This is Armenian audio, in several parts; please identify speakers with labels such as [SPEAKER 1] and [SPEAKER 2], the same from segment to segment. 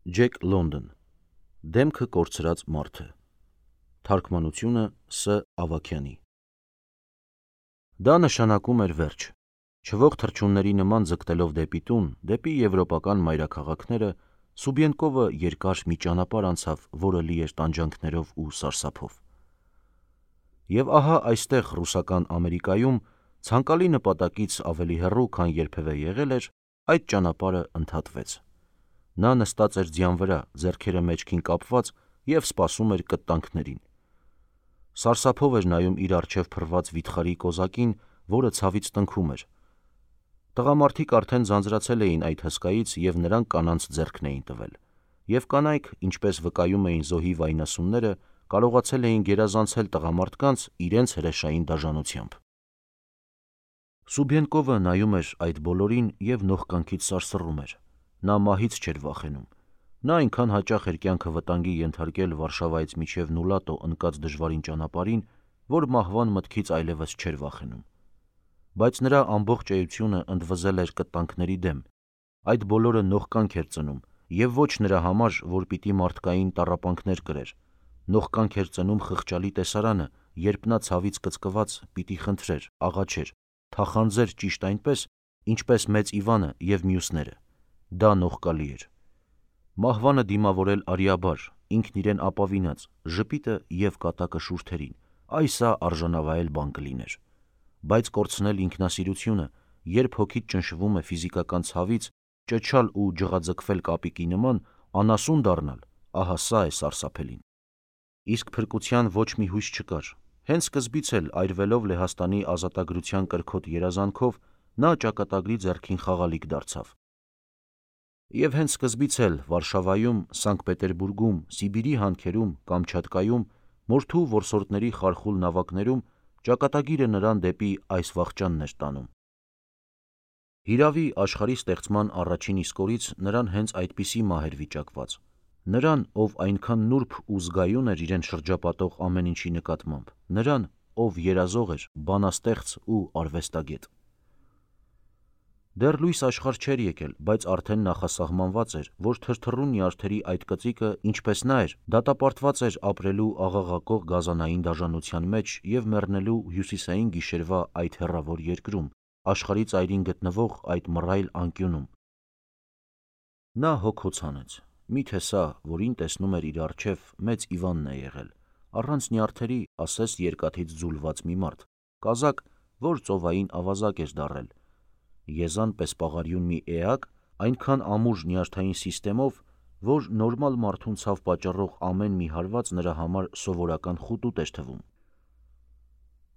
[SPEAKER 1] Ջեք Լոնդոն Դեմքը կորցրած մարդը Թարգմանությունը Ս. Ավագյանի Դա նշանակում էր վերջ։ Չվող թռչունների նման ձգտելով դեպի տուն, դեպի եվրոպական մայրաքաղաքները, Սուբյենկովը երկար մի ճանապարհ անցավ, որը լի էր տանջանքներով ու սարսափով։ Եվ ահա այստեղ ռուսական Ամերիկայում ցանկալի նպատակից ավելի հեռու, քան երբևէ եղել էր, այդ ճանապարհը ընդհատվեց։ Նա նստած էր ձյան վրա, ձեռքերը մեջքին կապված և սպասում էր կտտանքներին։ Սարսափով էր նայում իր առջև փռված վիթխարի կոզակին, որը ցավից տնքում էր։ Տղամարդիկ արդեն ձանձրացել էին այդ հսկայից և նրանք կանանց ձեռքն էին տվել, և կանայք, ինչպես վկայում էին զոհի վայնասունները, կարողացել էին գերազանցել տղամարդկանց իրենց հրեշային դաժանությամբ։ Սուբյենկովը նայում էր այդ բոլորին և նողկանքից սարսռում էր։ Նա մահից չէր վախենում։ Նա այնքան հաճախ էր կյանքը վտանգի ենթարկել Վարշավայից մինչև Նուլատո ընկած դժվարին ճանապարհին, որ մահվան մտքից այլևս չէր վախենում։ Բայց նրա ամբողջ էությունը ընդվզել էր կտտանքների դեմ։ Այդ բոլորը նողկանք էր ծնում, և ոչ նրա համար, որ պիտի մարդկային տառապանքներ կրեր։ Նողկանք էր ծնում խղճալի տեսարանը, երբ նա ցավից կծկված պիտի խնդրեր, աղաչեր, թախանձեր ճիշտ այնպես, ինչպես Մեծ Իվանը և մյուսները։ Դա նողկալի էր։ Մահվանը դիմավորել արիաբար, ինքն իրեն ապավինած, ժպիտը և կատակը շուրթերին, այ սա արժանավայել բան կլիներ։ Բայց կորցնել ինքնասիրությունը, երբ հոգիդ ճնշվում է ֆիզիկական ցավից, ճչալ ու ջղաձգվել կապիկի նման, անասուն դառնալ, ահա սա է սարսափելին։ Իսկ փրկության ոչ մի հույս չկար։ Հենց սկզբից էլ, այրվելով Լեհաստանի ազատագրության կրքոտ երազանքով, նա ճակատագրի ձեռքին խաղալիք դարձավ։ Եվ հենց սկզբից էլ Վարշավայում, Սանկտ Պետերբուրգում, Սիբիրի հանքերում, Կամչատկայում, մորթու որսորդների խարխուլ նավակներում ճակատագիրը նրան դեպի այս վախճանն էր տանում։ Հիրավի, աշխարհի ստեղծման առաջին իսկ օրից նրան հենց այդպիսի մահ էր վիճակված։ Նրան, ով այնքան նուրբ ու զգայուն էր իրեն շրջապատող ամեն ինչի նկատմամբ, նրան, ով երազող էր, բանաստեղծ ու արվեստագետ։ Դեռ լույս աշխարհ չէր եկել, բայց արդեն նախասահմանված էր, որ թրթռուն նյարդերի այդ կծիկը, ինչպես նա էր, դատապարտված էր ապրելու աղաղակող գազանային դաժանության մեջ և մեռնելու հյուսիսային գիշերվա այդ հեռավոր երկրում, աշխարհի ծայրին գտնվող այդ մռայլ անկյունում։ Նա հոգ-հոց հանեց։ Միթե սա, որին տեսնում էր իր առջև, Մեծ Իվանն է եղել, առանց նյարդերի, ասես երկաթից ձուլված մի մարդ, կազակ, որ ծովային ավազակ էր դառել, եզան պես պաղարյուն մի էակ, այնքան ամուր նյարդային սիստեմով, որ նորմալ մարդուն ցավ պատճառող ամեն մի հարված նրա համար սովորական խուտուտ էր թվում։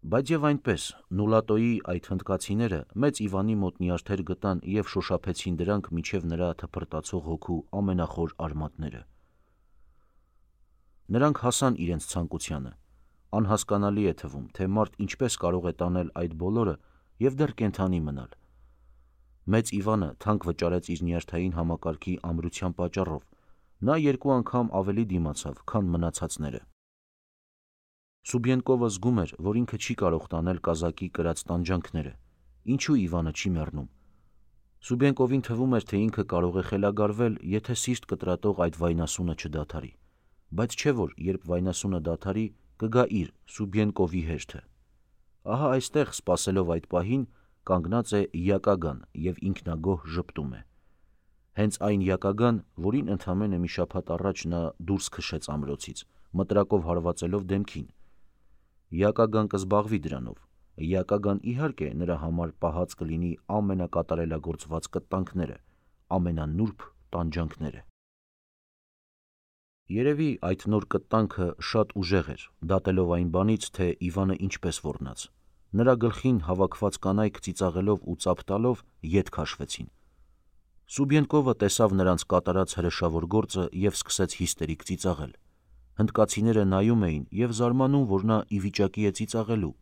[SPEAKER 1] Բայց և այնպես, Նուլատոյի այդ հնդկացիները Մեծ Իվանի մոտ նյարդեր գտան և շոշափեցին դրանք մինչև նրա թփրտացող հոգու ամենախոր արմատները։ Նրանք հասան իրենց ցանկությանը։ Անհասկանալի է թվում, թե մարդ ինչպես կարող է տանել այդ բոլորը և դեռ կենդանի մնալ։ Մեծ Իվանը թանկ վճարեց իր նյարդային համակարգի ամրության պատճառով։ Նա 2 անգամ ավելի դիմացավ, քան մնացածները։ Սուբյենկովը զգում էր, որ ինքը չի կարող տանել կազակի կրած տանջանքները։ Ինչու Իվանը չի մեռնում։ Սուբյենկովին թվում էր, թե ինքը կարող է խելագարվել, եթե սիրտ կտրատող այդ վայնասունը չդադարի։ Բայց չէ որ, երբ վայնասունը դադարի, կգա իր Սուբյենկովի հերթը։ Ահա այստեղ, սպասելով այդ պահին, կանգնած է Յակագան և ինքնագոհ ժպտում է։ Հենց այն Յակագան, որին ընդամենը մի շաբաթ առաջ նա դուրս քշեց ամրոցից, մտրակով հարվածելով դեմքին։ Յակագան կզբաղվի դրանով։ Յակագան, իհարկե, նրա համար պահած կլինի ամենակատարելագործված կտտանքները, ամենանուրբ տանջանքները։ Երևի այդ նոր կտտանքը շատ ուժեղ էր, դատելով այն բանից, թե Իվանը ինչպես ոռնաց։ Նրա գլխին հավաքված կանայք ծիծաղելով ու ծափ տալով ետ քաշվեցին։ Սուբյենկովը տեսավ նրանց կատարած հրեշավոր գործը և սկսեց հիստերիկ ծիծաղել։ Հնդկացիները նայում էին և զարմանում, որ նա ի վիճակի է ծիծաղելու,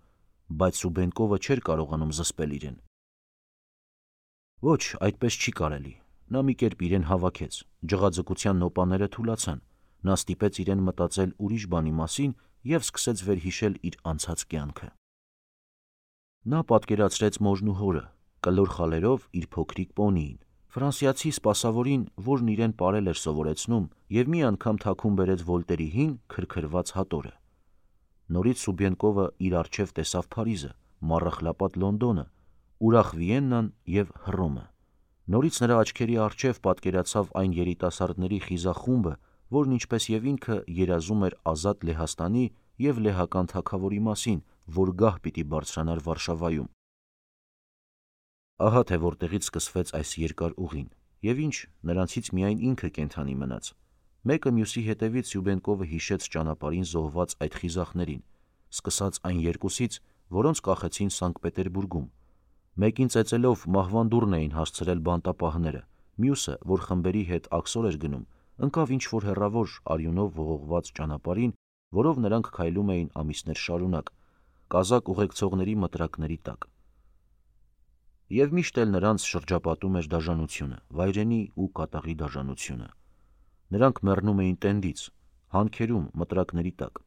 [SPEAKER 1] բայց Սուբյենկովը չէր կարողանում զսպել իրեն։ Ոչ, այդպես չի կարելի։ Նա մի կերպ իրեն հավաքեց, ջղաձգության նոպաները թուլացան, նա ստիպեց իրեն մտածել ուրիշ բանի մասին և սկսեց վերհիշել իր անցած կյանքը։ Նա պատկերացրեց մորն ու հորը, կլոր խալերով իր փոքրիկ պոնիին, Ֆրանսիացի սպասավորին, որն իրեն պարել էր սովորեցնում, և մի անգամ թաքուն բերեց Վոլտերի հին քրքրված հատորը։ Նորից Սուբենկովը իր առջև տեսավ Փարիզը, Մառախլապատ Լոնդոնը, ուրախ Վիեննան և Հռոմը։ Նորից նրա աչքերի առջև պատկերացավ այն երիտասարդների խիզախ խումբը, որն ինչպես և ինքը երազում էր ազատ Լեհաստանի և լեհական թագավորի մասին, որ գահ պիտի բարձրանար Վարշավայում։ Ահա թե որտեղից սկսվեց այս երկար ուղին, և ինչ, նրանցից միայն ինքը կենդանի մնաց։ Մեկը մյուսի հետևից Սյուբենկովը հիշեց ճանապարհին զոհված այդ խիզախներին, սկսած այն երկուսից, որոնց կախեցին Սանկտ Պետերբուրգում։ Մեկին ծեծելով մահվան դուռն էին հասցրել բանտապահները, մյուսը, որ խմբերի հետ աքսոր էր գնում, ընկավ ինչ-որ հեռավոր արյունով ողողված ճանապարհին, որով նրանք քայլում էին ամիսներ շարունակ, կազակ ուղեկցողների մտրակների տակ։ Եվ միշտ էլ նրանց շրջապատում էր դաժանությունը, վայրենի ու կատաղի դաժանությունը։ Նրանք մեռնում էին տենդից, հանքերում, մտրակների տակ։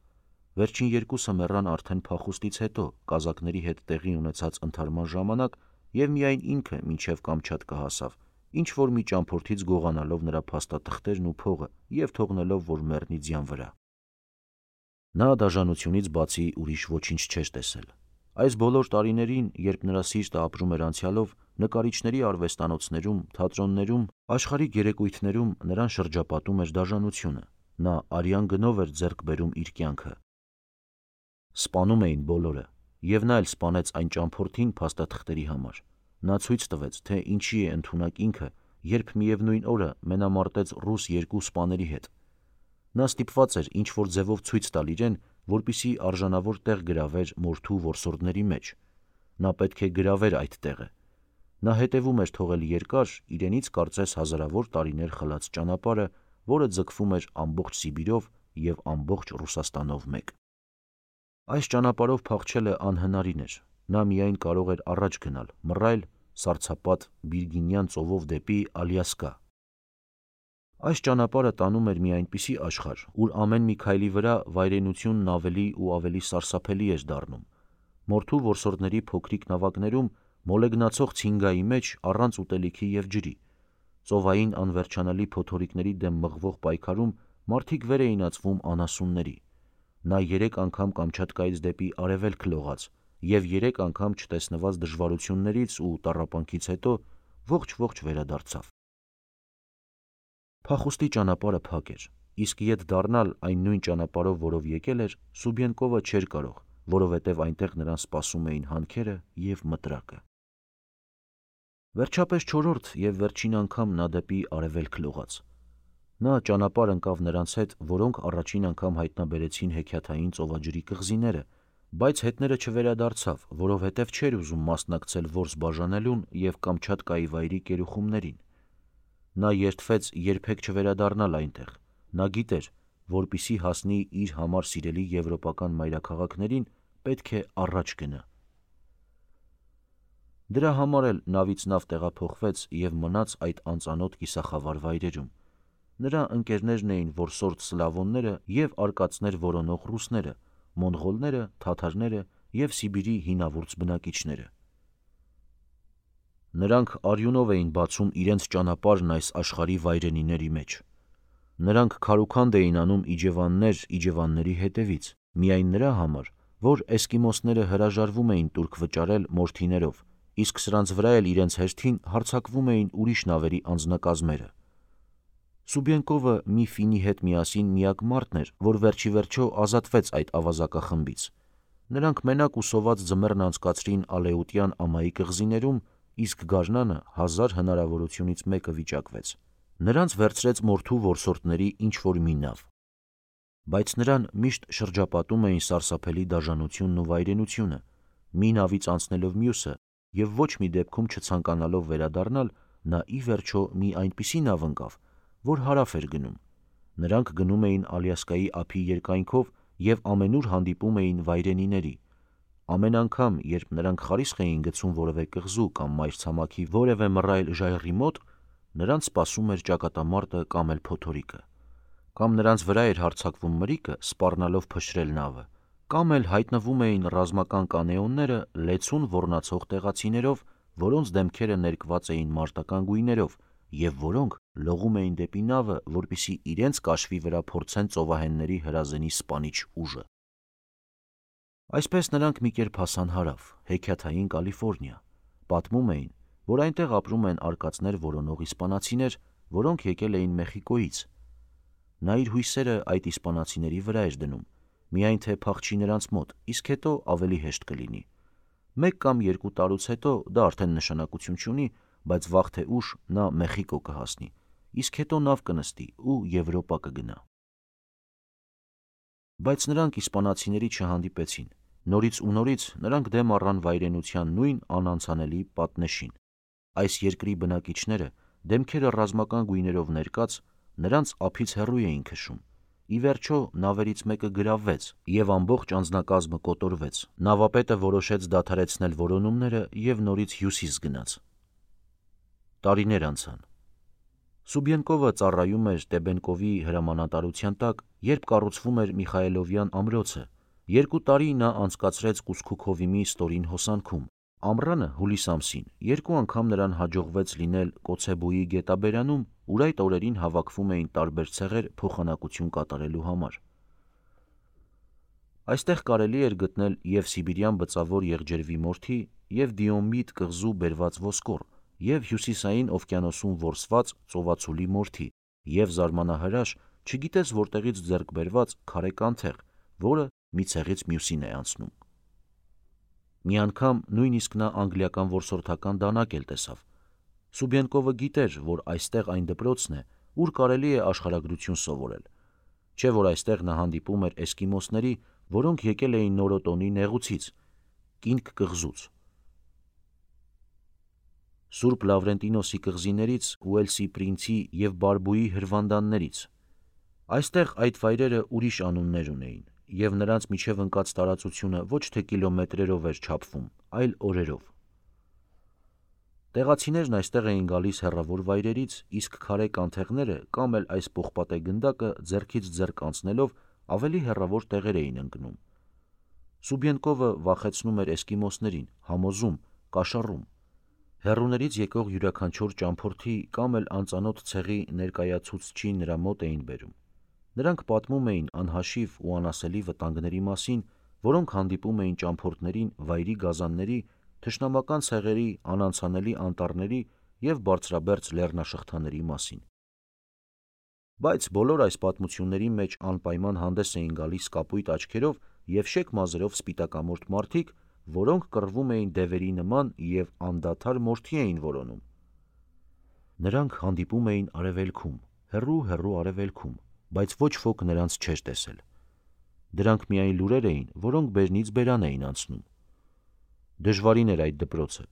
[SPEAKER 1] Վերջին երկուսը մեռան արդեն փախուստից հետո, կազակների հետ տեղի ունեցած ընդհարման ժամանակ, և միայն ինքը մինչև Կամչատկա հասավ, ինչ-որ մի ճամփորդից գողանալով նրա փաստաթղթերն ու փողը և թողնելով, որ մեռնի ձյան վրա։ Նա դաժանությունից բացի ուրիշ ոչինչ չէր տեսել։ Այս բոլոր տարիներին, երբ նրա սիրտը ապրում էր անցյալով, նկարիչների արվեստանոցներում, թատրոններում, աշխարհիկ երեկույթներում նրան շրջապատում էր դաժանությունը։ Նա արյան գնով էր ձեռք բերում իր կյանքը։ Սպանում էին բոլորը, և նա էլ սպանեց այն ճամփորդին փաստաթղթերի համար։ Նա ցույց տվեց, թե ինչի է ընդունակ ինքը, երբ միևնույն օրը մենամարտեց ռուս երկու սպաների հետ։ Նա ստիպված էր ինչ-որ ձևով ցույց տալ իրեն, որպեսզի արժանավոր տեղ գրավեր մորթու որսորդների մեջ։ Նա պետք է գրավեր այդ տեղը։ Նա հետևում էր թողել երկար, իրենից կարծես հազարավոր տարիներ խլած ճանապարհը, որը ձգվում էր ամբողջ Սիբիրով և ամբողջ Ռուսաստանով մեկ։ Այս ճանապարհով փախչելը անհնարին էր։ Նա միայն կարող էր առաջ գնալ, մռայլ, սառցապատ Վիրգինյան ծովով դեպի Ալյասկա։ Այս ճանապարհը տանում էր մի այնպիսի աշխարհ, ուր ամեն մի քայլի վրա վայրենությունն ավելի ու ավելի սարսափելի էր դառնում։ Մորթու որսորդների փոքրիկ նավակներում, մոլեգնացող ցինգայի մեջ, առանց ուտելիքի և ջրի, ծովային անվերջանալի փոթորիկների դեմ մղվող պայքարում մարդիկ վեր էին ածվում անասունների։ Նա 3 անգամ Կամչատկայից դեպի արևելք լողաց և 3 անգամ չտեսնված դժվարություններից ու տառապանքից հետո ողջ վերադարձավ։ Փախուստի ճանապարհը փակ էր, իսկ ետ դառնալ այն նույն ճանապարհով, որով եկել էր, Սուբենկովը չէր կարող, որովհետև այնտեղ նրան սպասում էին հանքերը և մտրակը։ Վերջապես 4-րդ և վերջին անգամ նա դեպի արևելք լողաց։ Նա ճանապարհ ընկավ նրանց հետ, որոնք առաջին անգամ հայտնաբերեցին հեքիաթային ծովաջրի կղզիները, բայց հետները չվերադարձավ, որովհետև չէր ուզում մասնակցել որս բաժանելուն և Կամչատկայի վայրի կերուխումներին։ Նա երդվեց երբեք չվերադառնալ այնտեղ։ Նա գիտեր, որպեսզի հասնի իր համար սիրելի եվրոպական մայրաքաղաքներին, պետք է առաջ գնա։ Դրա համար էլ նավից նավ տեղափոխվեց և մնաց այդ անծանոթ կիսախավար վայրերում։ Նրա ընկերներն էին որսորդ սլավոնները և արկածներ որոնող ռուսները, մոնղոլները, թաթարները և Սիբիրի հինավուրց բնակիչները։ Նրանք արյունով էին բացում իրենց ճանապարհն այս աշխարհի վայրենիների մեջ։ Նրանք քարուքանդ էին անում իջևանների հետևից, միայն նրա համար, որ էսկիմոսները հրաժարվում էին տուրք վճարել մորթիներով, իսկ սրանց վրա էլ իրենց հերթին հարձակվում էին ուրիշ նավերի անձնակազմերը։ Սուբենկովը մի ֆինի հետ միասին միակ մարդն էր, որ վերջիվերջո ազատվեց այդ ավազակախմբից։ Նրանք մենակ ու սոված ձմեռն անցկացրին Ալեուտյան ամայի կղզիներում, իսկ գարնանը 1000 հնարավորությունից մեկը վիճակվեց։ Նրանց վերցրեց մորթու որսորդների ինչ-որ մի նավ։ Բայց նրան միշտ շրջապատում էին սարսափելի դաժանությունն ու վայրենությունը։ Մի նավից անցնելով մյուսը և ոչ մի դեպքում չցանկանալով վերադառնալ, նա ի վերջո մի այնպիսի նավ ընկավ, որ հարավ էր գնում։ Նրանք գնում էին Ալյասկայի ափի երկայնքով և ամենուր հանդիպում էին վայրենիների։ Ամեն անգամ, երբ նրանք խարիսխ էին գցում որևէ կղզու կամ մայրցամաքի որևէ մռայլ ժայռի մոտ, նրանց սպասում էր ճակատամարտը կամ էլ փոթորիկը։ Կամ նրանց վրա էր հարձակվում մրրիկը, սպառնալով փշրել նավը, կամ էլ հայտնվում էին ռազմական կանեոնները լեցուն ոռնացող տեղացիներով, որոնց դեմքերը ներկված էին մարտական գույներով, և որոնք լողում էին դեպի նավը, որպեսզի իրենց կաշվի վրա փորձեն ծովահենների հրազենի սպանիչ ուժը։ Այսպես նրանք մի կերպ հասան հարավ, հեքիաթային Կալիֆոռնիա։ Պատմում էին, որ այնտեղ ապրում են արկածներ որոնող իսպանացիներ, որոնք եկել էին Մեխիկոից։ Նա իր հույսերը այդ իսպանացիների վրա էր դնում, միայն թե փախչի նրանց մոտ, իսկ հետո ավելի հեշտ կլինի։ 1 կամ 2 տարուց հետո դա արդեն նշանակություն չունի, բայց վաղ թե ուշ նա Մեխիկո կհասնի, իսկ հետո նավ կնստի ու Եվրոպա կգնա։ Բայց նրանք իսպանացիների չհանդիպեցին։ Նորից ու նորից նրանք դեմ առան վայրենության նույն անանցանելի պատնեշին։ Այս երկրի բնակիչները, դեմքերը ռազմական գույներով ներկած, նրանց ափից հեռու էին քշում։ Ի վերջո նավերից մեկը գրավվեց, և ամբողջ անձնակազմը կոտորվեց։ Նավապետը որոշեց դադարեցնել որոնումները և նորից հյուսիս գնաց։ Տարիներ անցան։ Սուբյենկովը ծառայում էր Տեբենկովի հրամանատարության տակ, երբ կառուցվում էր Միխայելովյան ամրոցը։ 2 տարի նա անցկացրեց Կուսկուքովիմի ստորին հոսանքում։ Ամռանը, հուլիս ամսին, 2 անգամ նրան հաջողվեց լինել Կոցեբոյի գետաբերանում, ուր այդ օրերին հավաքվում էին տարբեր ցեղեր փոխանակություն կատարելու համար։ Այստեղ կարելի էր գտնել և սիբիրյան բծավոր եղջերվի մորթի, և Դիոմիդ կղզու բերված ոսկոր, և հյուսիսային օվկիանոսում որսված ծովածուլի մորթի, և զարմանահրաշ, չգիտես որտեղից ձեռք բերված քարե կանթեղ, որը մի ցեղից մյուսին է անցնում։ Մի անգամ նույնիսկ նա անգլիական որսորդական դանակ էլ տեսավ։ Սուբյենկովը գիտեր, որ այստեղ այն դպրոցն է, ուր կարելի է աշխարհագրություն սովորել, չէ՞ որ այստեղ նա հանդիպում էր էսկիմոսների, որոնք եկել էին նորոտոնի նեղուցից, Կինգ կղզուց, Սուրբ Լավրենտինոսի կղզիներից, Ուելսի պրինցի և Բարբուի հրվանդաններից։ Այստեղ այդ վայրերը ուրիշ անուններ ունեին, և նրանց միջև ընկած տարածությունը ոչ թե կիլոմետրերով էր չափվում, այլ օրերով։ Տեղացիներն այստեղ էին գալիս հեռավոր վայրերից, իսկ քարե կանթեղները կամ էլ այս պողպատե գնդակը ձեռքից ձեռք անցնելով ավելի հեռավոր տեղեր էին ընկնում։ Սուբյենկովը վախեցնում էր էսկիմոսներին, համոզում, կաշառում։ Հեռուներից եկող յուրաքանչյուր ճամփորդի կամ էլ անծանոթ ցեղի ներկայացուցչի նրա մոտ էին բերում։ Նրանք պատմում էին անհաշիվ ու անասելի վտանգների մասին, որոնք հանդիպում էին ճամփորդներին վայրի գազանների, թշնամական ցեղերի, անանցանելի անտառների և բարձրաբերձ լեռնաշղթաների մասին։ Բայց բոլոր այս պատմությունների մեջ անպայման հանդես էին գալիս կապույտ աչքերով և շեկ մազերով սպիտակամորթ մարդիկ, որոնք կռվում էին դևերի նման և անդադար մորթի էին որոնում։ Նրանք հանդիպում էին արևելքում, հեռու արևելքում, բայց ոչ ոք նրանց չէր տեսել։ Դրանք միայն լուրեր էին, որոնք բերնից բերան էին անցնում։ Դժվարին էր այդ դպրոցը,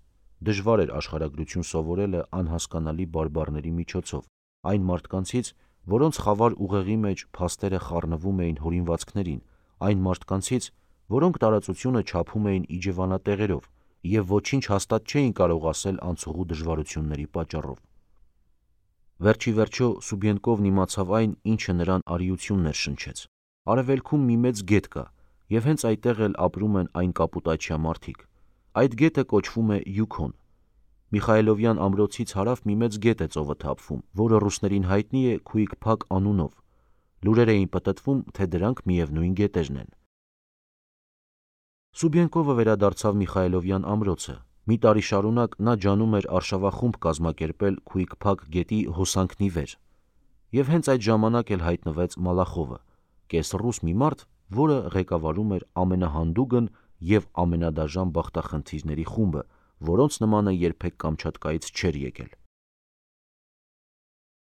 [SPEAKER 1] դժվար էր աշխարհագրություն սովորելը անհասկանալի բարբառների միջոցով, այն մարդկանցից, որոնց խավար ուղեղի մեջ փաստերը խառնվում էին հորինվածքներին, այն մարդկանցից, որոնք տարածությունը չափում էին իջևանատեղերով և ոչինչ հաստատ չէին կարող ասել անցուղու դժվարությունների պատճառով։ Վերջ ի վերջո Սուբյենկովն իմացավ այն, ինչը նրան արիությունն էր շնչեց։ Արևելքում մի մեծ գետ կա, և հենց այդտեղ էլ ապրում են այն կապուտաչյա մարդիկ։ Այդ գետը կոչվում է Յուքոն։ Միխայելովյան ամրոցից հարավ մի մեծ գետ է ծովը թափվում, որը ռուսներին հայտնի է Քուիքփակ անունով։ Լուրեր էին պտտվում, թե դրանք միևնույն գետերն են։ Սուբյենկովը վերադարձավ Միխայելովյան ամրոցը։ Մի տարի շարունակ նա ջանում էր արշավախումբ կազմակերպել Քուիքփակ գետի հոսանքն ի վեր։ Եվ հենց այդ ժամանակ էլ հայտնվեց Մալախովը, կեսռուս մի մարդ, որը ղեկավարում էր ամենահանդուգն և ամենադաժան բախտախնդիրների խումբը, որոնց նմանը երբեք Կամչատկայից չէր եկել։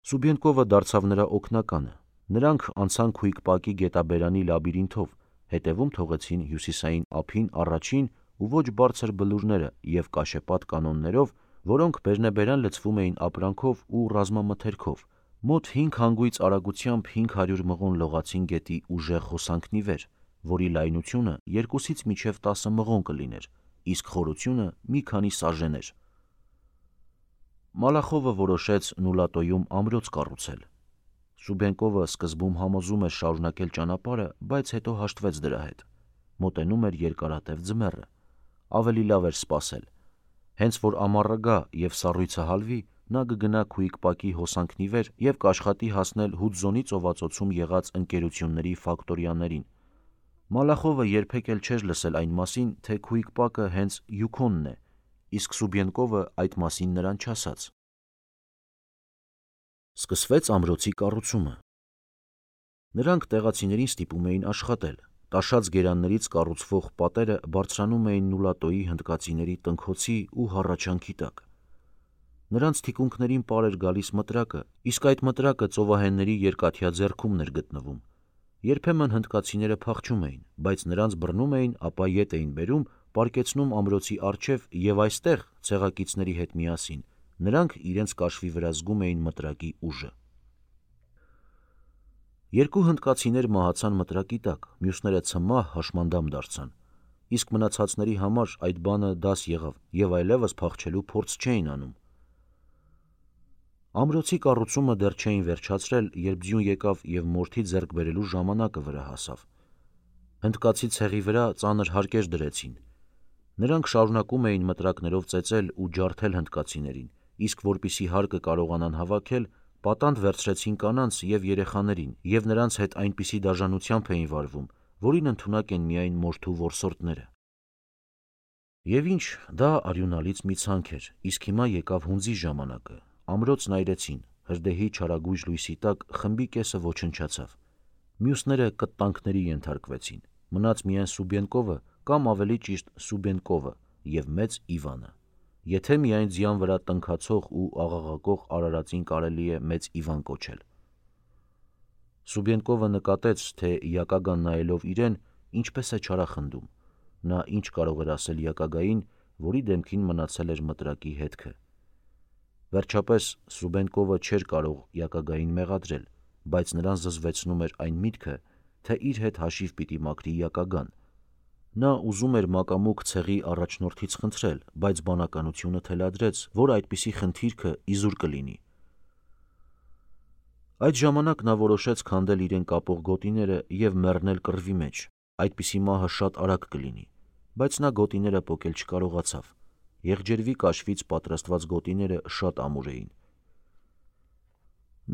[SPEAKER 1] Սուբյենկովը դարձավ նրա օգնականը։ Նրանք անցան Քուիքփակի գետաբերանի լաբիրինթով, հետևում թողեցին հյուսիսային ափին առաջին ու ոչ բարձր բլուրները և կաշեպատ կանոններով, որոնք բերնեբերան լցվում էին ապրանքով ու ռազմամթերքով, մոտ 5 հանգույց արագությամբ 500 մղոն լողացին գետի ուժեղ հոսանքն ի վեր, որի լայնությունը 2-ից մինչև 10 մղոն կլիներ, իսկ խորությունը մի քանի սաժեն էր։ Մալախովը որոշեց Նուլատոյում ամրոց կառուցել։ Սուբյենկովը սկզբում համոզում էր շարունակել ճանապարհը, բայց հետո հաշտվեց դրա հետ։ Մոտենում էր երկարատև ձմեռը։ Ավելի լավ էր սպասել։ Հենց որ ամառը գա և սառույցը հալվի, նա կգնա Քուիկպակի հոսանքնի վեր և կաշխատի հասնել Հուդզոնի ծովածոցում եղած ընկերությունների ֆակտորիաներին։ Մալախովը երբեք էլ չէր լսել այն մասին, թե Քուիկպակը հենց Յուքոնն է, իսկ Սուբենկովը այդ մասին նրան չասաց։ Սկսվեց ամրոցի կառուցումը։ Նրանք տեղացիներին ստիպում էին աշխատել։ Տաշած գերաններից կառուցվող պատերը բարձրանում էին Նուլատոյի հնդկացիների տնքոցի ու հառաչանքի տակ։ Նրանց թիկունքներին պար էր գալիս մտրակը, իսկ այդ մտրակը ծովահենների երկաթյա ձեռքումն էր գտնվում։ Երբեմն հնդկացիները փախչում էին, բայց նրանց բռնում էին, ապա ետ էին բերում, պառկեցնում ամրոցի առջև և այստեղ, ցեղակիցների հետ միասին, նրանք իրենց կաշվի վրա զգում էին մտրակի ուժը։ Երկու հնդկացիներ մահացան մտրակի տակ, մյուսները ցմահ հաշմանդամ դարձան, իսկ մնացածների համար այդ բանը դաս եղավ և այլևս փախչելու փորձ չէին անում։ Ամրոցի կառուցումը դեռ չէին վերջացրել, երբ ձյուն եկավ և մորթի ձեռք բերելու ժամանակը վրա հասավ։ Հնդկացի ցեղի վրա ծանր հարկեր դրեցին։ Նրանք շարունակում էին մտրակներով ծեծել ու ջարդել հնդկացիներին, իսկ որպեսզի հարկը կարողանան հավաքել, պատանդ վերցրեցին կանանց և երեխաներին և նրանց հետ այնպիսի դաժանությամբ էին վարվում, որին ընդունակ են միայն մորթու որսորդները։ Եվ ինչ, դա արյունալից մի ցանկ էր, իսկ հիմա եկավ հունձի ժամանակը։ Ամրոցն այրեցին, հրդեհի չարագույժ լույսի տակ խմբի կեսը ոչնչացավ։ Մյուսները կտտանքների ենթարկվեցին, մնաց միայն Սուբենկովը կամ ավելի ճիշտ Սուբենկովը և մեծ Իվանը, եթե միայն ձյան վրա տնքացող ու աղաղակող արարածին կարելի է մեծ Իվան կոչել։ Սուբենկովը նկատեց, թե Յակագան նայելով իրեն, ինչպես է չարախնդում։ Նա ինչ կարող էր ասել Յակագային, որի դեմքին մնացել էր մտրակի հետքը։ Վերջապես Սուբենկովը չէր կարող Յակագային մեղադրել, բայց նրան զզվեցնում էր այն միտքը, թե իր հետ հաշիվ պիտի մաքրի Յակագան։ Նա ուզում էր մակամուկ ցեղի առաջնորդից խնդրել, բայց բանականությունը թելադրեց, որ այդպիսի խնդիրքը իզուր կլինի։ Այդ ժամանակ նա որոշեց քանդել իրեն կապող գոտիները և մեռնել կռվի մեջ։ Այդպիսի մահը շատ արագ կլինի, բայց նա գոտիները պոկել չկարողացավ։ Եղջերվի կաշվից պատրաստված գոտիները շատ ամուր էին։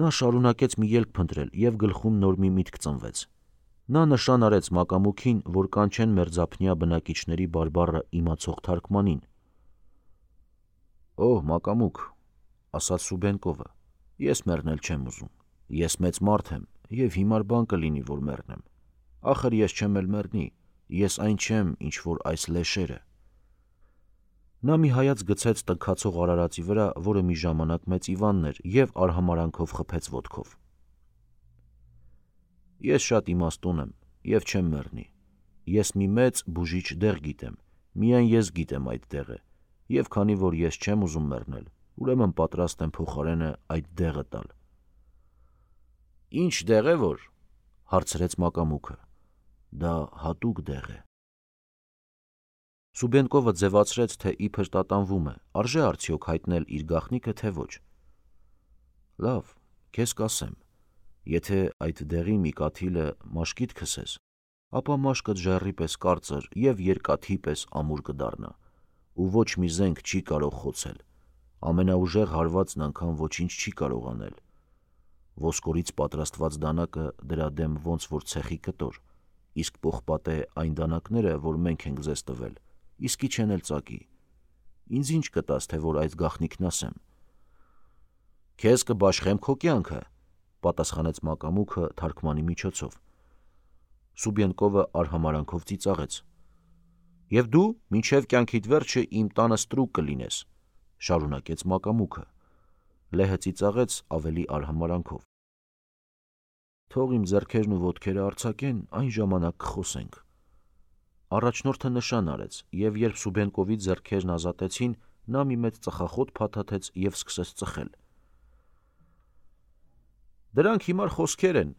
[SPEAKER 1] Նա շարունակեց մի ելք փնտրել և գլխում նոր մի միտք ծնվեց։ Նա նշան արեց մակամուքին, որ կանչեն մերձափնյա բնակիչների բարբառը իմացող թարգմանին։ «Օհ, մակամուք», ասաց Սուբենկովը, «ես մեռնել չեմ ուզում։ Ես մեծ մարդ եմ և հիմար բան կլինի, որ մեռնեմ։ Ախր ես չեմ էլ մեռնի, ես այն չեմ, ինչ որ այս լեշերը»։ Նա մի հայացք գցեց տնքացող արարածի վրա, որը մի ժամանակ մեծ Իվանն էր, և արհամարանքով խփեց ոտքով։ «Ես շատ իմաստուն եմ և չեմ մեռնի։ Ես մի մեծ բուժիչ դեղ գիտեմ, միայն ես գիտեմ այդ դեղը, և քանի որ ես չեմ ուզում մեռնել, ուրեմն պատրաստ եմ փոխարենը այդ դեղը տալ»։ «Ինչ դեղ է որ», հարցրեց մակամուքը։ «Դա հատուկ դեղ է»։ Սուբենկովը ձևացրեց, թե իբր տատանվում է, արժե արդյոք հայտնել իր գաղտնիքը, թե ոչ։ «Լավ, քեզ կասեմ, եթե այդ դեղի մի կաթիլը մաշկիդ քսես, ապա մաշկդ ժայռի պես կարծր և երկաթի պես ամուր կդառնա, ու ոչ մի զենք չի կարող խոցել, ամենաուժեղ հարվածն անգամ ոչինչ չի կարող անել։ Ոսկորից պատրաստված դանակը դրա դեմ ոնց որ ցեխի կտոր, իսկ պողպատե այն դանակները, որ մենք ենք ձեզ տվել, իսկի չեն էլ ծակի։ Ինձ ինչ կտաս, թե որ այդ գաղտնիքն ասեմ»։ «Քեզ կբաշխեմ քո կյանքը», պատասխանեց մակամուքը թարգմանի միջոցով։ Սուբենկովը արհամարանքով ծիծաղեց։ «Եվ դու մինչև կյանքիդ վերջը իմ տանը ստրուկ կլինես», շարունակեց մակամուքը։ Լեհը ծիծաղեց ավելի արհամարանքով։ «Թող իմ ձեռքերն ու ոտքերը արձակեն, այն ժամանակ կխոսենք»։ Առաջնորդը նշան արեց, և երբ Սուբենկովի ձեռքերն ազատեցին, նա մի մեծ ծխախոտ փաթաթեց և սկսեց ծխել։ «Դրանք հիմար խոսքեր են»,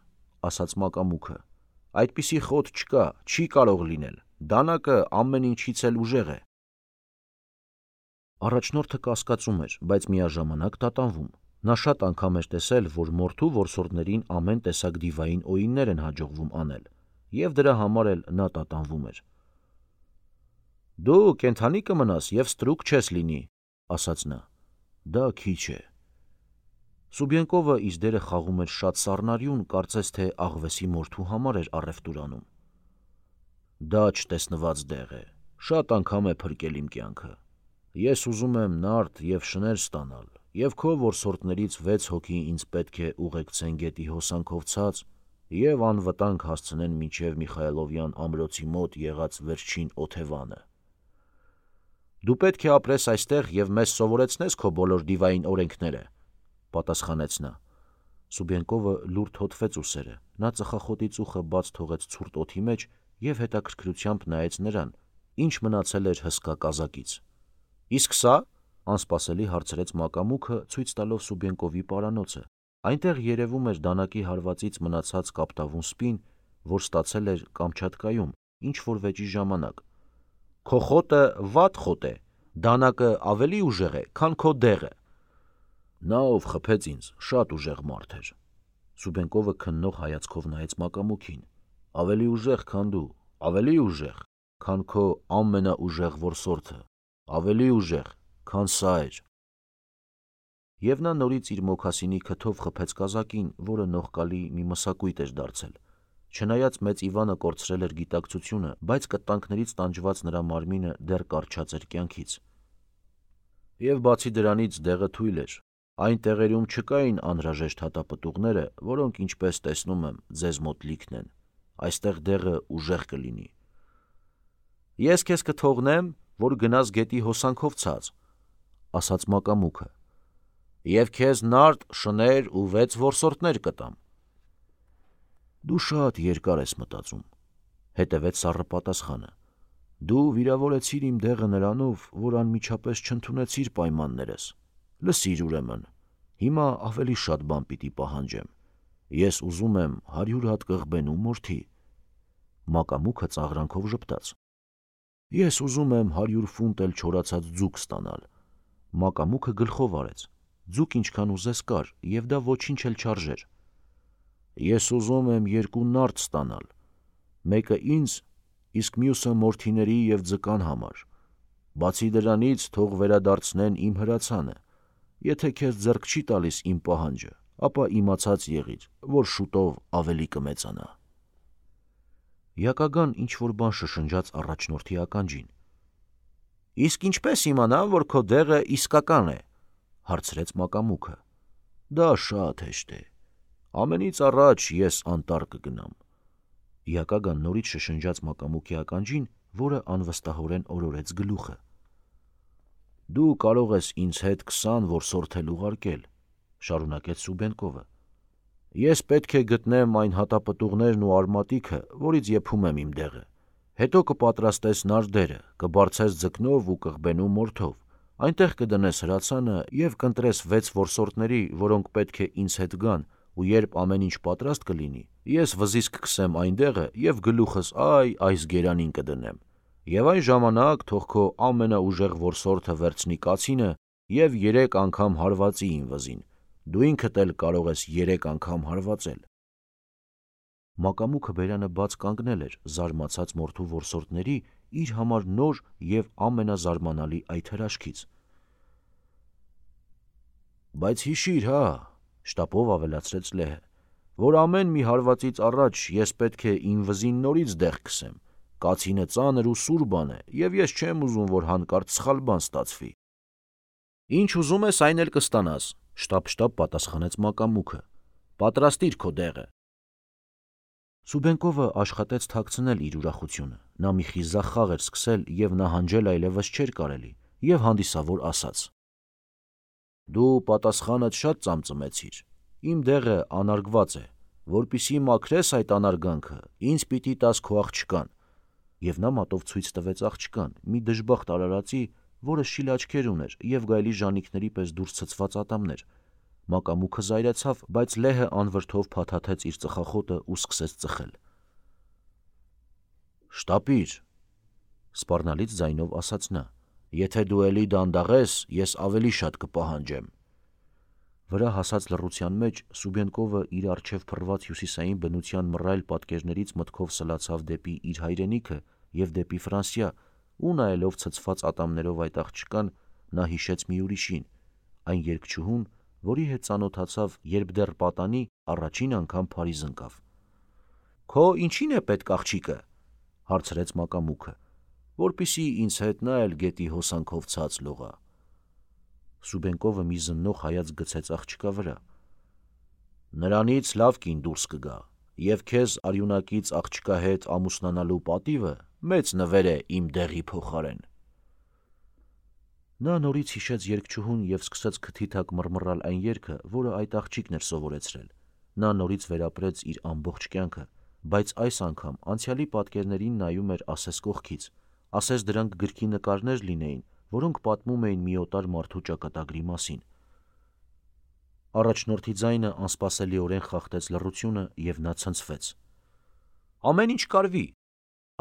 [SPEAKER 1] ասաց մակամուքը։ «Այդպիսի խոտ չկա, չի կարող լինել, դանակը ամեն ինչից էլ ուժեղ է»։ Առաջնորդը կասկածում էր, բայց միաժամանակ տատանվում։ Նա շատ անգամ էր տեսել, որ մորթու որսորդներին ամեն տեսակ դիվային օիններ են հաջողվում անել, և դրա համար էլ նա տատանվում էր։ «Դու կենդանի կմնաս և ստրուկ չես լինի», ասաց նա։ «Դա քիչ է, Սուբյենկովը իր դերը խաղում էր շատ սառնարյուն, կարծես թե աղվեսի մորթու համար էր առևտուր անում։ Դա չտեսնված դեղ է, շատ անգամ է փրկել իմ կյանքը։ Ես ուզում եմ նարդ և շներ ստանալ, և քո որսորդներից 6 հոգի ինձ պետք է ուղեկցեն գետի հոսանքով ցած և անվտանգ հասցնեն մինչև Միխայելովյան ամրոցի մոտ եղած վերջին օթևանը։ Դու պետք է ապրես այստեղ և մեզ սովորեցնես քո բոլոր դիվային օրենքները, պատասխանեց նա։ Սուբյենկովը լուրջ հոտվեց ուսերը, նա ծխախոտի ծուխը բաց թողեց ցուրտ օդի մեջ և հետաքրքրությամբ նայեց նրան, ինչ մնացել էր հսկա կազակից։ Իսկ սա, անսպասելի հարցրեց մակամուկը, ցույց տալով Սուբյենկովի պարանոցը։ Այնտեղ երևում էր դանակի հարվածից մնացած կապտավուն սպին, որ ստացել էր Կամչատկայում ինչ-որ վեճի ժամանակ։ Քո խոտը վատ խոտ է, դանակը ավելի ուժեղ է, քան քո դեղը։ Նա, ով խփեց ինձ, շատ ուժեղ մարդ էր։ Սուբյենկովը քննող հայացքով նայեց մակամուկին։ Ավելի ուժեղ, քան դու, ավելի ուժեղ, քան քո ամենաուժեղ որսորդը, ավելի ուժեղ, քան սա էր։ Եվ նա նորից իր մոքասինի քթով խփեց կազակին, որը նողկալի մի մսակույտ էր դարձել։ Չնայած մեծ Իվանը կորցրել էր գիտակցությունը, բայց կտանքներից տանջված նրա մարմինը դեռ կառչած էր կյանքից։ Եվ բացի դրանից դեղը թույլ էր։ Այն տեղերում չկային անհրաժեշտ հատապտուղները, որոնք, ինչպես տեսնում եմ, ձեզ մոտ լիքն են։ Այստեղ դեղը ուժեղ կլինի։ Ես քեզ կթողնեմ, որ գնաս գետի հոսանքով ցած, ասաց մակամուկը, և քեզ նարդ, շներ ու 6 որսորդներ կտամ։ Դու շատ երկար ես մտածում, հետևեց սառը պատասխանը։ Դու վիրավորեցիր իմ դեղը նրանով, որ անմիջապես չընդունեցիր պայմաններս։ Լսիր ուրեմն, հիմա ավելի շատ բան պիտի պահանջեմ։ Ես ուզում եմ 100 հատ կղբենու մորթի։ Մակամուկը ծաղրանքով ժպտաց։ Ես ուզում եմ 100 ֆունտ էլ չորացած ձուկ ստանալ։ Մակամուկը գլխով արեց։ Ձուկ ինչքան ուզես կար, և դա ոչինչ էլ չարժեր։ Ես ուզում եմ 2 նարդ ստանալ, մեկը ինձ, իսկ մյուսը մորթիների և ձկան համար։ Բացի դրանից թող վերադարձնեն իմ հրացանը։ Եթե քեզ ձեռք չի տալիս իմ պահանջը, ապա իմացած եղիր, որ շուտով ավելի կմեծանա։ Յակագան ինչ-որ բան շշնջաց առաջնորդի ականջին։ Իսկ ինչպես իմանամ, որ քո դեղը իսկական է, հարցրեց մակամուկը։ Դա շատ հեշտ է։ Ամենից առաջ ես անտառ կգնամ։ Յակագան նորից շշնջաց մակամուկի ականջին, որը անվստահորեն օրորեց գլուխը։ Դու կարող ես ինձ հետ 20 որսորդ էլ ուղարկել, շարունակեց Սուբյենկովը։ Ես պետք է գտնեմ այն հատապտուղներն ու արմատիքը, որից եփում եմ իմ դեղը։ Հետո կպատրաստես նարդերը, կբարձես ձկնով ու կղբենու մորթով, այնտեղ կդնես հրացանը և կընտրես 6 որսորդների, որոնք պետք է ինձ հետ գան, ու երբ ամեն ինչ պատրաստ կլինի, ես վզից կքսեմ այն դեղը և գլուխս այս գերանին կդնեմ։ Եվ այն ժամանակ թող քո ամենաուժեղ որսորդը վերցնի կացինը և 3 անգամ հարվածի իմ վզին։ Դու ինքդ էլ կարող ես 3 անգամ հարվածել։ Մակամուկը բերանը բաց կանգնել էր, զարմացած մորթու որսորդների իր համար նոր և ամենազարմանալի այդ հրաշքից։ Բայց հիշիր, հա, շտապով ավելացրեց լեհը, որ ամեն մի հարվածից առաջ ես պետք է իմ վզին նորից դեղ քսեմ։ Կացինը ծանր ու սուր բան է, և ես չեմ ուզում, որ հանկարծ սխալ բան ստացվի։ Ինչ ուզում ես, այն էլ կստանաս, շտապ պատասխանեց մակամուկը։ Պատրաստիր քո դեղը։ Սուբյենկովը աշխատեց թաքցնել իր ուրախությունը։ Նա մի խիզախ խաղ էր սկսել, և նահանջել այլևս չէր կարելի, և հանդիսավոր ասաց. Դու պատասխանդ շատ ծամծմեցիր։ Իմ դեղը անարգված է։ Որպեսզի մաքրես այդ անարգանքը, ինձ պիտի տաս քո աղջկան։ Եվ նա մատով ցույց տվեց աղջկան, մի դժբախտ արարածի, որը շիլ աչքեր ուներ և գայլի ժանիքների պես դուրս ցցված ատամներ։ Մակամուկը զայրացավ, բայց լեհը անվրդով փաթաթեց իր ծխախոտը ու սկսեց ծխել։ Շտապիր, սպառնալից ձայնով ասաց նա, եթե դու էլի դանդաղես, ես ավելի շատ կպահանջեմ։ Վրա հասած լռության մեջ Սուբյենկովը իր առջև փռված հյուսիսային բնության մռայլ պատկերներից մտքով սլացավ դեպի իր հայրենիքը և դեպի Ֆրանսիա, ու նայելով ցցված ատամներով այդ աղջկան, նա հիշեց մի ուրիշին, այն երգչուհուն, որի հետ ծանոթացավ, երբ դեռ պատանի առաջին անգամ Փարիզ ընկավ։ «Քո ինչին է պետք աղջիկը», հարցրեց մակամուկը, որպիսի ինձ հետ նա էլ գետի հոսանքով ցած լողա։ Սուբենկովը մի զննող հայացք գցեց աղջկա վրա։ «Նրանից լավ կին դուրս կգա, և քեզ արյունակից աղջկա հետ ամուսնանալու պատիվը մեծ նվեր է իմ դեղի փոխարեն»։ Նա նորից հիշեց երգչուհուն և սկսեց քթի տակ մռմռալ այն երգը, որը այդ աղջիկն էր սովորեցրել։ Նա նորից վերապրեց իր ամբողջ կյանքը, բայց այս անգամ անցյալի պատկերներին նայում էր ասես կողքից, ասես դրանք գրքի նկարներ լինեին, որոնք պատմում էին մի օտար մարդու ճակատագրի մասին։ Առաջնորդի ձայնը անսպասելիորեն խախտեց լռությունը, և նա ցնցվեց։ «Ամեն ինչ կարվի»,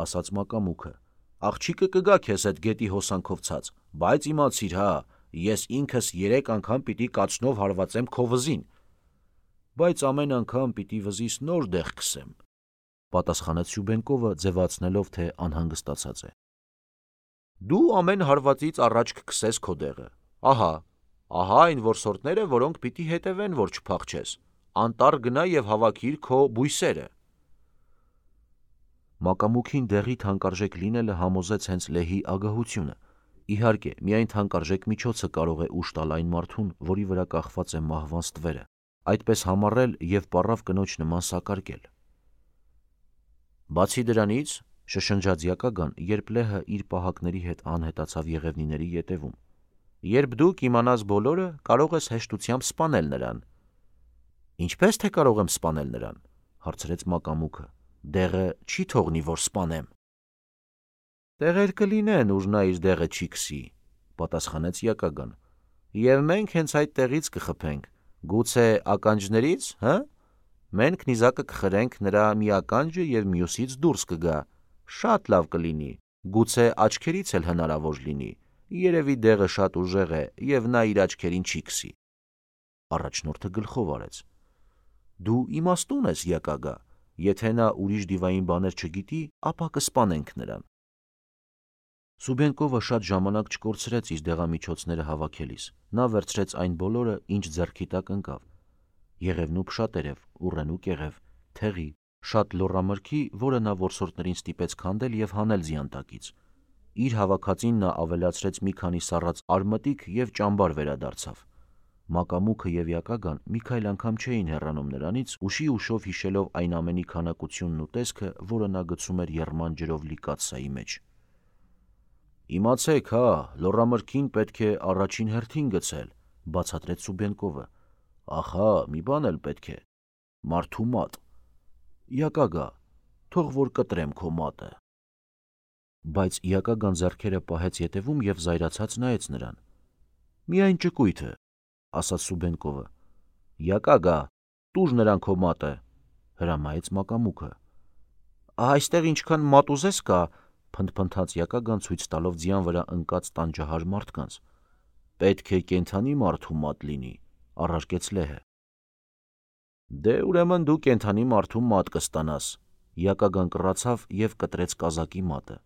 [SPEAKER 1] ասաց մակամուկը։ «Աղջիկը կգա քեզ հետ գետի հոսանքով ցած, բայց իմացիր, հա, ես ինքս 3 անգամ պիտի կացնով հարվածեմ քո վզին»։ «Բայց ամեն անգամ պիտի վզիս նոր դեղ քսեմ», պատասխանեց Սյուբենկովը, ձևացնելով, թե անհանգստացած է։ «Դու ամեն հարվածից առաջ կքսես քո դեղը։ Ահա այն որսորդները, որոնք պիտի հետևեն, որ չփախչես։ Անտառ գնա և հավաքիր քո բույսերը»։ Մակամուկին դեղի թանկարժեք լինելը համոզեց հենց լեհի ագահությունը։ Իհարկե, միայն թանկարժեք միջոցը կարող է ուժ տալ այն մարդուն, որի վրա կախված է մահվան ստվերը, այդպես համառել և պառավ կնոջ նման սակարկել։ «Բացի դրանից», շշնջաց Յակագան, երբ լեհը իր պահակների հետ անհետացավ եղևնիների ետևում, «երբ դու կիմանաս բոլորը, կարող ես հեշտությամբ սպանել նրան»։ «Ինչպե՞ս թե կարող եմ սպանել նրան», հարցրեց մակամուկը։ «Դեղը չի թողնի, որ սպանեմ»։ «Տեղեր կլինեն, ուր նա իր դեղը չի քսի», պատասխանեց Յակագան, «և մենք հենց այդ տեղից կխփենք, գուցե ականջների՞ց, հը։ Մենք նիզակը կխրենք նրա մի ականջը և մյուսից դուրս կգա, շատ լավ կլինի, գուցե աչքերից էլ հնարավոր լինի, երևի դեղը շատ ուժեղ է, և նա իր աչքերին չի քսի»։ Առաջնորդը գլխով արեց։ «Դու իմաստուն ես, Յակագա, եթե նա ուրիշ դիվային բաներ չգիտի, ապա կսպանենք նրան»։ Սուբենկովը շատ ժամանակ չկորցրեց իր դեղամիջոցները հավաքելիս։ Նա վերցրեց այն բոլորը, ինչ ձեռքի տակ ընկավ. եղևնու փշատերև, ուռենու կեղև, թեղի, շատ լոռամրգի, որը նա որսորդներին ստիպեց քանդել և հանել ձիանտակից։ Իր հավաքածին նա ավելացրեց մի քանի սառած արմատիկ և ճամբար վերադարձավ։ Մակամուկը և Յակագան մի քայլ անգամ չէին հեռանում նրանից, ուշի-ուշով հիշելով այն ամենի քանակությունն ու տեսքը, որը նա գցում էր եռման ջրով լի կաթսայի մեջ։ «Իմացեք, հա, լոռամրգին պետք է առաջին հերթին գցել», բացատրեց Սուբենկովը։ «Ախա, մի բան էլ պետք է. մարդու մատ։ Յակագա, թող որ կտրեմ քո մատը»։ Բայց Յակագան ձեռքերը պահեց ետևում և զայրացած նայեց նրան։ «Միայն ճկույթը», ասաց Սուբենկովը։ «Յակագա, տուր նրան քո մատը», հրամայեց մակամուկը։ «Այստեղ ինչքան մատ ուզես կա», փնթփնթաց Յակագան, ցույց տալով ձյան վրա ընկած տանջահար մարդկանց։ «Պետք է կենդանի մարդու մատ լինի», առարկեց լեհը։ «Դե ուրեմն դու կենդանի մարդու մատ կստանաս», Յակագան կռացավ և կտրեց կազակի մատը։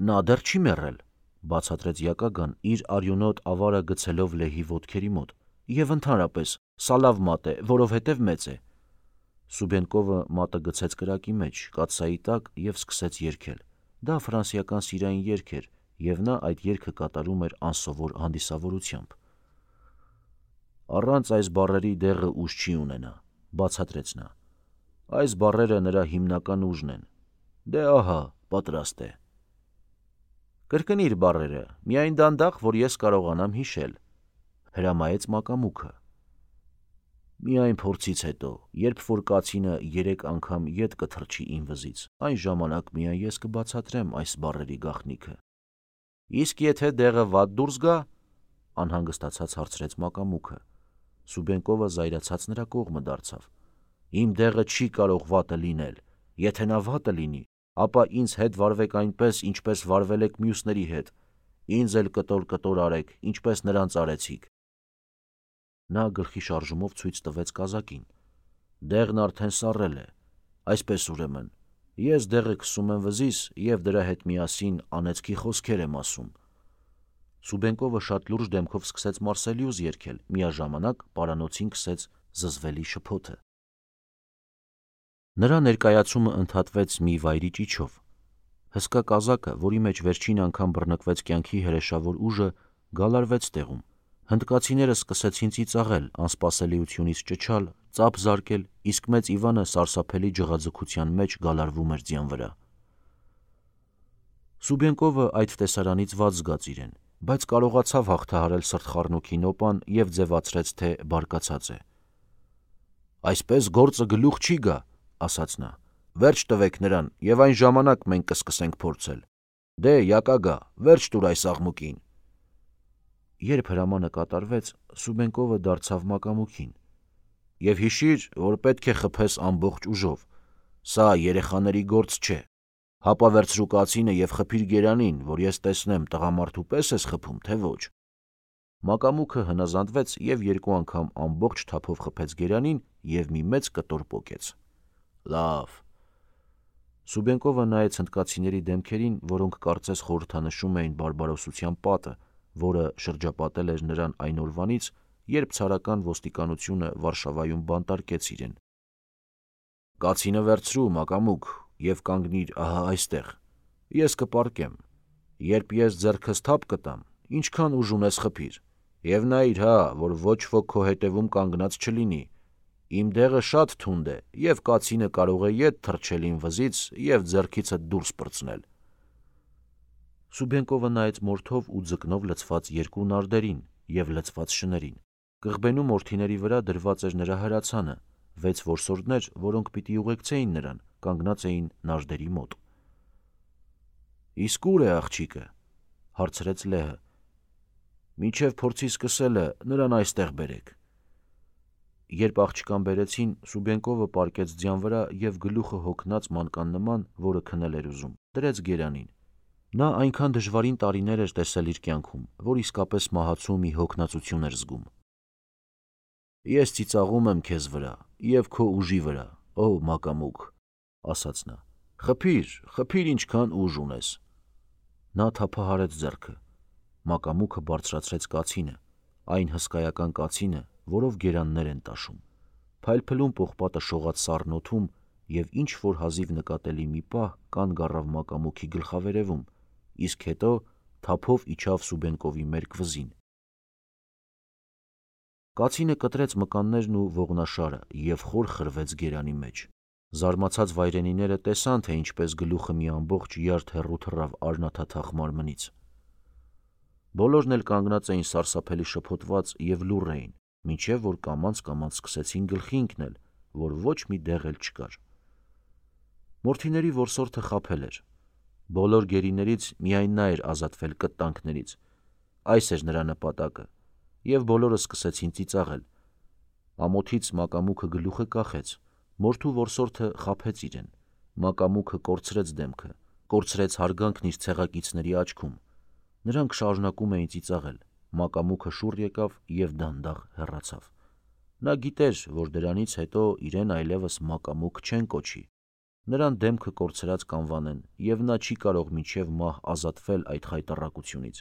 [SPEAKER 1] «Նա դեռ չի մեռել», բացատրեց Յակագան, իր արյունոտ ավարը գցելով լեհի ոտքերի մոտ, «և ընդհանրապես, սա լավ մատ է, որովհետև մեծ է»։ Սուբենկովը մատը գցեց կրակի մեջ, կաթսայի տակ և սկսեց երգել։ Դա ֆրանսիական սիրային երգ էր, և նա այդ երգը կատարում էր անսովոր հանդիսավորությամբ։ «Առանց այս բառերի դեղը ուժ չի ունենա», բացատրեց նա։ «Այս բառերը նրա հիմնական ուժն են։ Դե ահա, պատրաստ է»։ «Կրկնիր բառերը, միայն դանդաղ, որ ես կարողանամ հիշել», հրամայեց մակամուկը։ «Միայն փորձից հետո, երբ որ կացինը 3 անգամ ետ կթռչի իմ վզից, այն ժամանակ միայն ես կբացատրեմ այս բառերի գաղտնիքը»։ «Իսկ եթե դեղը վատ դուրս գա», անհանգստացած հարցրեց մակամուկը։ Սուբենկովը զայրացած նրա կողմը դարձավ։ «Իմ դեղը չի կարող վատը լինել։ Եթե նա վատը լինի, ապա ինձ հետ վարվեք այնպես, ինչպես վարվել եք մյուսների հետ, ինձ էլ կտոր արեք, ինչպես նրանց արեցիք»։ Նա գլխի շարժումով ցույց տվեց կազակին։ «Դեղն արդեն սառել է։ Այսպես ուրեմն, ես դեղը քսում եմ վզիս և դրա հետ միասին անեծքի խոսքեր եմ ասում»։ Սուբենկովը շատ լուրջ դեմքով սկսեց Մարսելիուս երգել, միաժամանակ պարանոցին սկսեց զզվելի շփոթը։ Նրա ներկայացումը ընդհատվեց մի վայրի ճիչով։ Հսկա կազակը, որի մեջ վերջին անգամ բռնկվեց կյանքի հրեշավոր ուժը, գալարվեց տեղում։ Հնդկացիները սկսեցին ծիծաղել, անսպասելիությունից ճչալ, ծափ զարկել, իսկ մեծ Իվանը սարսափելի ջղաձգության մեջ գալարվում էր ձյան վրա։ Սուբենկովը այդ տեսարանից վատ զգաց իրեն, բայց կարողացավ հաղթահարել սրտխառնոքի նոպան և ձևացրեց, թե բարկացած է։ «Այսպես գործը գլուխ չի գա», ասաց նա։ «Վերջ տվեք նրան, և այն ժամանակ մենք կսկսենք փորձել։ Դե, յակագա, վերջ տուր այս աղմուկին»։ Երբ հրամանը կատարվեց, Սուբենկովը դարձավ մակամուկին։ «Եվ հիշիր, որ պետք է խփես ամբողջ ուժով։ Սա երեխաների գործ չէ։ Հապա վերցրու կացինը և խփիր գերանին, որ ես տեսնեմ տղամարդու պես ես խփում, թե ոչ»։ Մակամուկը հնազանդվեց և երկու անգամ ամբողջ թափով խփեց գերանին և մի մեծ կտոր պոկեց։ «Լավ»։ Սուբենկովը նայեց հնդկացիների դեմքերին, որոնք կարծես խորհրդանշում էին բարբարոսության պատը, որը շրջապատել էր նրան այն օրվանից, երբ ցարական ոստիկանությունը Վարշավայում բանտարկեց իրեն։ «Կացինը վերցրու, մակամուկ, և կանգնիր ահա այստեղ։ Ես կպառկեմ։ Երբ ես ձեռքս թափ կտամ, ինչքան ուժ ունես խփիր, և նայիր, հա, որ ոչ ոք քո հետևում կանգնած չլինի։ Իմ դեղը շատ թունդ է, և կացինը կարող է ետ թռչել իմ վզից և ձեռքիցդ դուրս պրծնել»։ Սուբենկովը նայեց մորթով ու ձկնով լցված երկու նարդերին և լցված շներին։ Կղբենու մորթիների վրա դրված էր նրա հրացանը, 6 որսորդներ, որոնք պիտի ուղեկցեին նրան, կանգնած էին նարդերի մոտ։ «Իսկ ուր է աղջիկը»։ հարցրեց Լեհը։ «Մինչև փորձի սկսելը նրան այստեղ բերեք»։ Երբ աղջկան բերեցին, Սուբենկովը պառկեց ձյան վրա և գլուխը հոգնած մանկան նման, որը քնել էր ուզում, դրեց գերանին։ Նա այնքան դժվարին տարիներ էր տեսել իր կյանքում, որ իսկապես մահացու մի հոգնածություն էր զգում։ «Ես ծիծաղում եմ քեզ վրա և քո ուժի վրա, ո մակամուկ», ասաց նա։ «Խփիր, խփիր ինչքան ուժ ունես»։ Նա թափահարեց ձեռքը։ Մակամուկը բարձրացրեց կացինը, այն հսկայական կացինը, որով գերաններ են տաշում։ Փայլփլուն պողպատը շողաց սառն օդում և ինչ-որ հազիվ նկատելի մի պահ կանգ առավ մակամուկի գլխավերևում, իսկ հետո թափով իջավ Սուբենկովի մերկ վզին։ Կացինը կտրեց մկաններն ու ողնաշարը և խոր խրվեց գերանի մեջ։ Զարմացած վայրենիները տեսան, թե ինչպես գլուխը մի ամբողջ յարդ հեռու թռավ արնաթաթախ մարմնից։ Բոլորն էլ կանգնած էին սարսափելի շփոթված և լուռ էին, մինչև որ կամաց-կամաց սկսեցին գլխի ընկնել, որ ոչ մի դեղ էլ չկար։ Մորթիների որսորդը խաբել էր։ Բոլոր գերիներից միայն նա էր ազատվել կտտանքներից։ Այս էր նրա նպատակը, և բոլորը սկսեցին ծիծաղել։ Ամոթից մակամուկը գլուխը կախեց։ Մորթու որսորդը խաբեց իրեն։ Մակամուկը կորցրեց դեմքը, կորցրեց հարգանքն իր ցեղակիցների աչքում։ Նրանք շարունակում էին ծիծաղել։ Մակամուկը շուռ եկավ և դանդաղ հեռացավ։ Նա գիտեր, որ դրանից հետո իրեն այլևս մակամուկ չեն կոչի։ Նրան դեմքը կորցրած կանվանեն, և նա չի կարող մինչև մահ ազատվել այդ խայտառակությունից։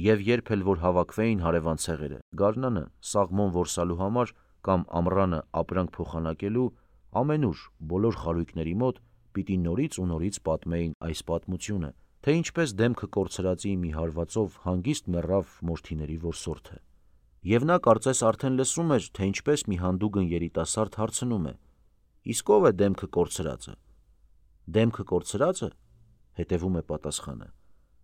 [SPEAKER 1] Եվ երբ էլ որ հավաքվեին հարևան ցեղերը, գարնանը սաղմոն որսալու համար կամ ամռանը ապրանք փոխանակելու, ամենուր բոլոր խարույկների մոտ պիտի նորից ու նորից պատմեին այս պատմությունը, թե ինչպես դեմքը կորցրածի մի հարվածով հանգիստ մեռավ մորթիների որսորդը։ Եվ նա կարծես արդեն լսում էր, թե ինչպես մի հանդուգն երիտասարդ հարցնում է. «Իսկ ո՞վ է դեմքը կորցրածը»։ «Դեմքը կորցրածը»։ հետևում է պատասխանը։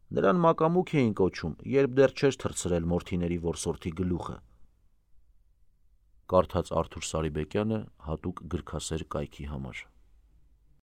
[SPEAKER 1] «Նրան մակամուկ էին կոչում, երբ դեռ չէր թռցրել մորթիների որսորդի գլուխը»։ Կարդաց Արթուր Սարիբեկյանը հատուկ գրքասեր կայքի համար։